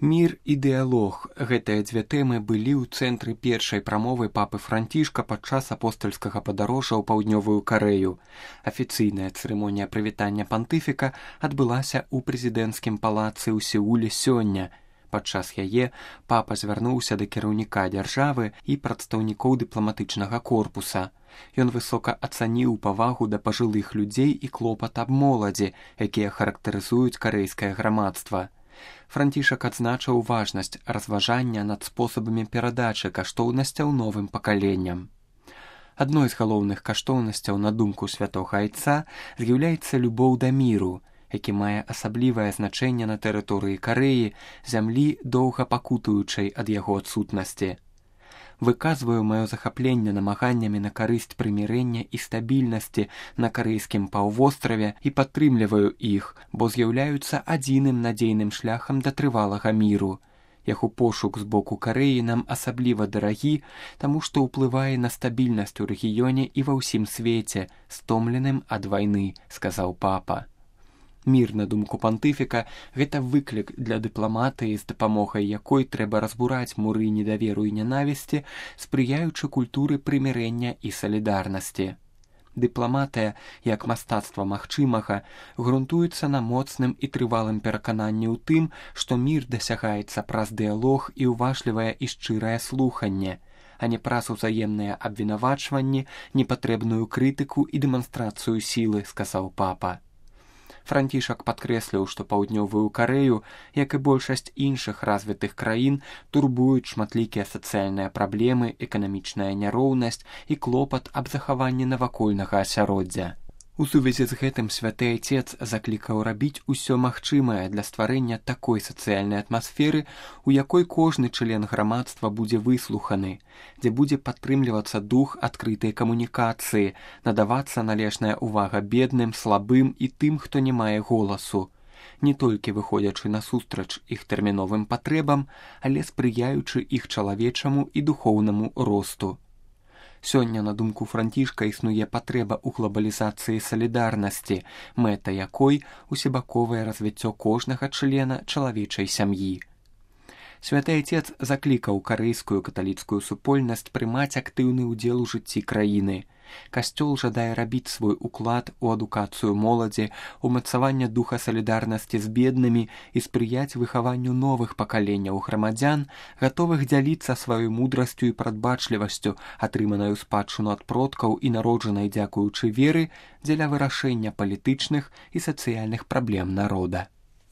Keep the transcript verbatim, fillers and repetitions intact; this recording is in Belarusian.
Мір і дыялог – гэтыя дзве тэмы былі ў цэнтры першай прамовы папы Францішка падчас апостальскага падарожжа ў паўднёвую Карэю. Афіцыйная цырымонія прывітання пантыфіка адбылася ў прэзідэнцкім палацы ў Сеуле сёння. Падчас яе папа звярнуўся да кіраўніка дзяржавы і прадстаўнікоў дыпламатычнага корпуса. Ён высока ацаніў павагу да пажылых людзей і клопат аб моладзі, якія характарызуюць карэйскае грамадства. Францішак адзначыў важнасць разважання над спосабамі перадачы каштоўнасцяў новым пакаленням. Адной з галоўных каштоўнасцяў, на думку святога айца, з'яўляецца любоў да міру, які мае асаблівае значэнне на тэрыторыі Карэі, зямлі, доўга пакутуючай ад яго адсутнасці. Выказваю маё захапленне намаганнямі на карысць прымірэння і стабільнасці на карэйскім паўвостраве і падтрымліваю іх, бо з'яўляюцца адзіным надзейным шляхам да трывалага міру. Яго пошук з боку Карэі нам асабліва дарагі, таму што ўплывае на стабільнасць у рэгіёне і ва ўсім свеце, стомленым ад вайны, сказаў папа. Мір, на думку пантыфіка, гэта выклік для дыпламатыі, з дапамогай якой трэба разбураць муры недаверу і нянавісці, спрыяючы культуры прымірэння і салідарнасці. Дыпламатыя, як мастацтва магчымага, грунтуецца на моцным і трывалым перакананні ў тым, што мір дасягаецца праз дыялог і ўважлівае і шчырае слуханне, а не праз узаемныя абвінавачванні, непатрэбную крытыку і дэманстрацыю сілы, сказаў папа. Францішак падкрэсліў, што паўднёвую Карэю, як і большасць іншых развітых краін, турбуюць шматлікія сацыяльныя праблемы, эканамічная няроўнасць і клопат аб захаванні навакольнага асяроддзя. У сувязі з гэтым святы айцец заклікаў рабіць усё магчымае для стварэння такой сацыяльнай атмасферы, у якой кожны член грамадства будзе выслуханы, дзе будзе падтрымлівацца дух адкрытай камунікацыі, надавацца належная ўвага бедным, слабым і тым, хто не мае голасу, не толькі выходзячы насустрач іх тэрміновым патрэбам, але спрыяючы іх чалавечаму і духоўнаму росту. Сёння, на думку Францішка, існуе патрэба ў глабалізацыі салідарнасці, мэта якой усебаковае развіццё кожнага члена чалавечай сям'і. Святы айцец заклікаў карэйскую каталіцкую супольнасць прымаць актыўны ўдзел у жыцці краіны. Касцёл жадае рабіць свой уклад у адукацыю моладзі, умацаванне духа салідарнасці з беднымі і спрыяць выхаванню новых пакаленняў грамадзян, гатовых дзяліцца сваёй мудрасцю і прадбачлівасцю, атрыманаю спадчыну ад продкаў і народжанай дзякуючы веры, дзеля вырашэння палітычных і сацыяльных праблем народа.